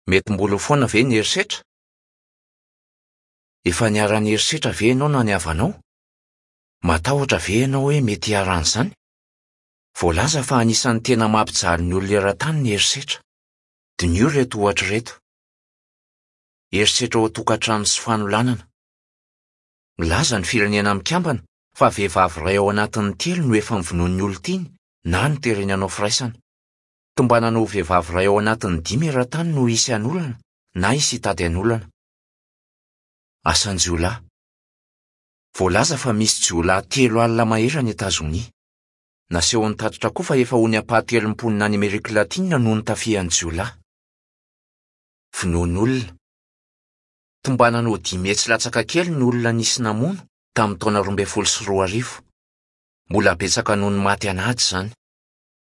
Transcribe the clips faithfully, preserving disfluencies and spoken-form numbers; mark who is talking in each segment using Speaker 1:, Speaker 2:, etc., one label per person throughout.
Speaker 1: Mety mbola ho foana ve ny herisetra? Efa niharan'ny herisetra ve ianao na ny havanao? Matahotra ve ianao hoe mety hiharan'izany? Voalaza fa anisan'ny tena mampijaly ny olona eran-tany ny herisetra. Diniho ireto ohatra ireto. Herisetra ao an-tokantrano sy fanolanana. Milaza ny Firenena Mikambana fa vehivavy iray ao anatin'ny telo no efa novonoin'ny olon-tiany na notereny hanao firaisana. Tombanana ho vehivavy iray ao anatin'ny dimy eran-tany no hisy hanolana na hisy hitady hanolana. Asan-jiolahy. Voalaza fa misy jiolahy telo alina mahery any Etazonia. Nasehon'ny tatitra koa fa efa ho ny ampahatelon'ny mponina any Amerika Latina no notafihan'ny jiolahy. Vonoan'olona. Tombanana ho dimy hetsy latsaka kely ny olona nisy namono tamin'ny taona roa ambin'ny folo sy roa arivo. Mbola betsaka noho ny maty an'ady izany.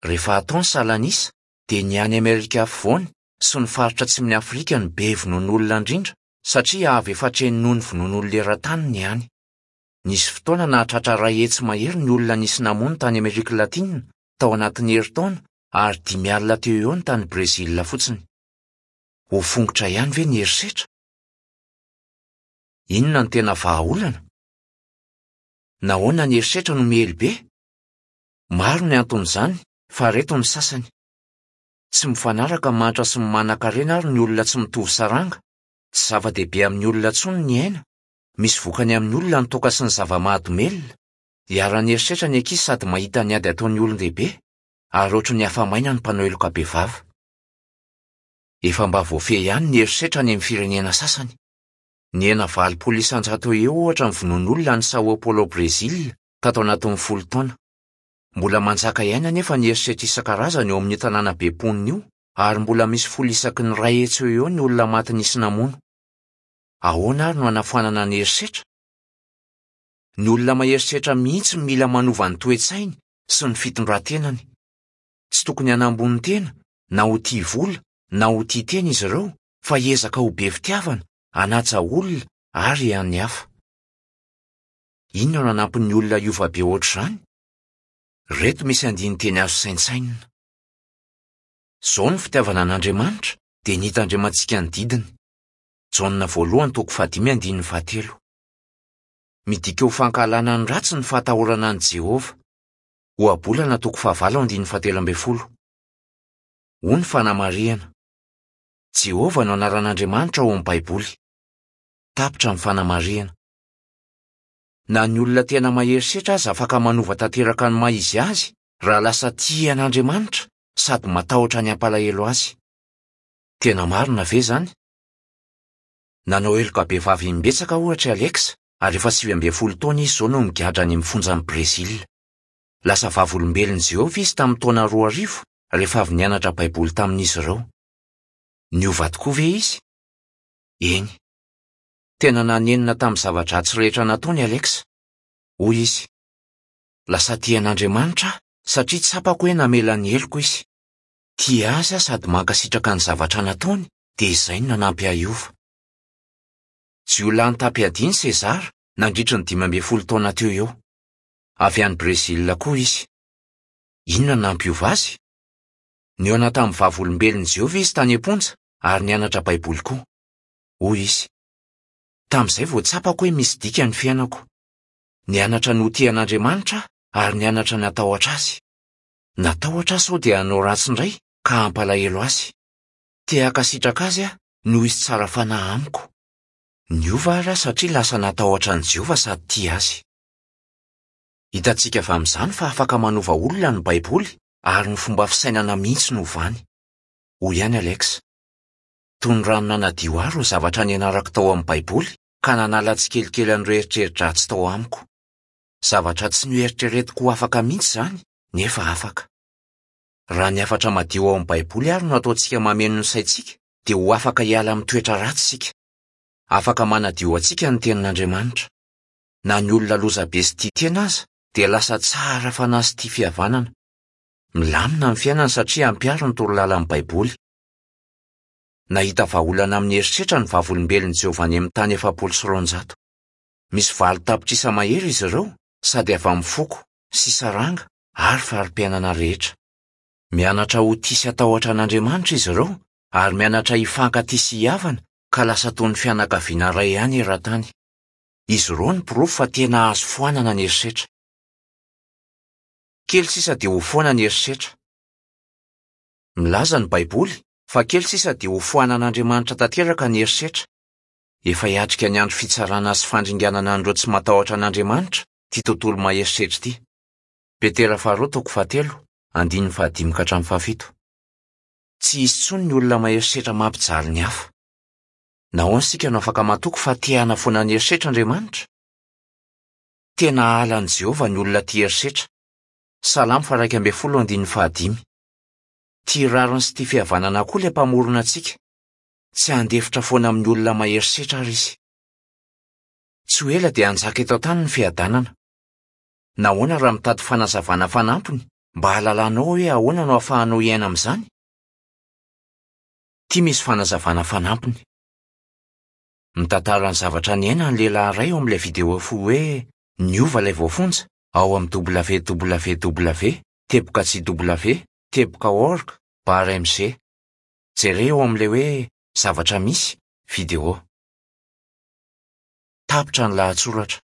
Speaker 1: Rehefa atao ny salanisa dia ny any Amerika Afovoany sy ny faritra atsimon'i Afrika no be vonoan'olona indrindra satria avy efatra heny noho ny vonoan'olona eran-tany ny any. Nisy fotoana nahatratra iray hetsy mahery ny olona nisy namono tany Amerika Latina tao anatin'ny herintaona ary dimy alina teo eo ny tany Brezila fotsiny. Ho fongotra ihany ve ny herisetra? Inona no tena vahaolana? Nahoana ny herisetra no miely be? Maro ny anton'izany fa ireto ny sasany. Tsy mifanaraka ny mahantra sy ny manankarena ary ny olona tsy mitovy saranga. Tsy zava-dehibe amin'ny olona intsony ny aina. Misy vokany amin'ny olona ny toaka sy ny zava-mahadomelina. Iharan'ny herisetra ny ankizy sady mahita ny ady ataon'ny olon-dehibe ary ohatry ny afa-maina ny mpanao heloka bevava. Efa mba voafehy ihany ny herisetra any amin'ny firenena sasany. Nihena valopolo isan-jato eo ohatra ny vonoan'olona any Sao Paulo Brezila tato anatin'ny folo taona. Mbola manjaka ihany anefa ny herisetra isan-karazany eo amin'ny tanàna be mponina io ary mbola misy folo isaky ny iray hetsy eo eo ny olona maty nisy namono. Ahoana ary no hanafoanana ny herisetra? Ny olona maherisetra mihitsy mila manova ny toe-tsainy sy ny fitondran-tenany. Tsy tokony hanambony tena na ho tia vola na ho tia tena izy ireo fa hiezaka ho be fitiavana, hanaja olona ary hian'ny hafa. Inona no hanampy ny olona hiova be ohatr'izany? Ireto misy andinin-teny azo saintsainina. Izao ny fitiavana an'Andriamanitra dia ny hitandremantsika ny didiny. Jaona voalohany toko fahadimy andininy fahatelo. Midika ho fankahalana ny ratsy ny fahatahorana an'i Jehovah. Ohabolana toko fahavalo andininy fahatelo ambin'ny folo. Hoy ny fanamarihana. Jehovah no anaran'Andriamanitra ao amin'ny Baiboly. Tapitra ny fanamarihana. Na ny olona tena mahery setra aza afaka manova tanteraka ny maha izy azy raha lasa tia an'Andriamanitra sady matahotra ny hampalahelo azy. Tena marina ve izany? Nanao heloka bevava imbetsaka ohatra i Alex ary efa sivy ambin'ny folo taona izy izao no migadra any amin'ny fonjan'i Brezila. Lasa vavolombelon'i Jehovah izy tamin'ny taona roa arivo rehefa avy nianatra Baiboly tamin'izy ireo. Niova tokoa ve izy? Eny. Tena nanenina tamin'ny zava-dratsy rehetra nataony Alex. Hoy izy: Lasa tia an'Andriamanitra aho satria tsapako hoe namela ny heloko izy. Tia azy aho sady mankasitraka ny zavatra nataony dia izay no nanampy ahy hiova. Jiolahy nitam-piadiana César nandritra ny dimy ambin'ny folo taona teo eo. Avy any Brezila koa izy. Inona no nampiova azy? Nihaona tamin'ny vavolombelon'i Jehovah izy tany am-ponja ary nianatra Baiboly koa. Hoy izy: Tamin'izay vao tsapako hoe misy dika ny fiainako. Nianatra ny ho tia an'Andriamanitra aho ary nianatra ny hatahotra azy. Natahotra aho sao dia hanao ratsy indray ka hampalahelo azy. Te hankasitraka azy aho noho izy tsara fanahy amiko. Niova ary aho satria lasa natahotra an'i Jehovah sady tia azy. Hitantsika avy amin'izany fa afaka manova olona ny Baiboly ary ny fomba fisainana mihitsy no ovany. Hoy ihany Alex: Toy ny rano nanadio ahy ireo zavatra nianarako tao amin'ny Baiboly ka nanala tsikelikely an'ireo eritreri-dratsy tao amiko. Zavatra tsy noeritreretiko ho afaka mihitsy izany nefa afaka. Raha ny hafatra madio ao amin'ny Baiboly ary no ataontsika mameno ny saintsika dia ho afaka hiala amin'ny toetra ratsy isika. Afaka manadio antsika ny tenin'Andriamanitra. Na ny olona lozabe sy tia tena aza dia lasa tsara fanahy sy tia fihavanana. Milamina ny fiainany satria ampiaro ny torolalan'ny Baiboly. Nahita vahaolana amin'ny herisetra ny vavolombelon'i Jehovah any amin'ny tany efapolo sy roanjato. Misy valo tapitrisa mahery izy ireo sady avy amin'ny foko sy saranga ary fari-piainana rehetra. Mianatra ho tia sy hatahotra an'Andriamanitra izy ireo ary mianatra hifankatia sy hihavana ka lasa toy ny fianakaviana iray ihany eran-tany. Izy ireo no porofo fa tena azo foanana ny herisetra. Kely sisa dia ho foana ny herisetra. Milaza ny Baiboly fa kely sisa dia ho foanan'Andriamanitra tanteraka ny herisetra. Efa hiatrika ny andro fitsarana sy fandringanana an'ireo tsy matahotra an'Andriamanitra ity tontolo maherisetra ity. Petera faharoa toko fahatelo, andininy fahadimy ka hatramin'ny fahafito. Tsy hisy intsony ny olona maherisetra mampijaly ny hafa. Nahoana isika no afaka matoky fa te hanafoana ny herisetra Andriamanitra? Tena halan'i Jehovah ny olona tia herisetra. Salamo faha iraika ambin'ny folo andininy fahadimy. Tia rariny sy tia fihavanana koa ilay mpamorona antsika. Tsy handefitra foana amin'ny olona maherisetra ary izy. Tsy ho ela dia hanjaka eto an-tany ny fiadanana. Nahoana raha mitady fanazavana fanampiny mba hahalalanao hoe ahoana no ahafahanao hiaina amin'izany? Ity misy fanazavana fanampiny. Mitantara ny zavatra niainany ny lehilahy iray ao amin'ilay video fohy hoe Niova ilay voafonja ao amin'ny www teboka jw teboka org barre mg. Jereo ao amin'ilay hoe zavatra misy video. Tapitra ny lahatsoratra.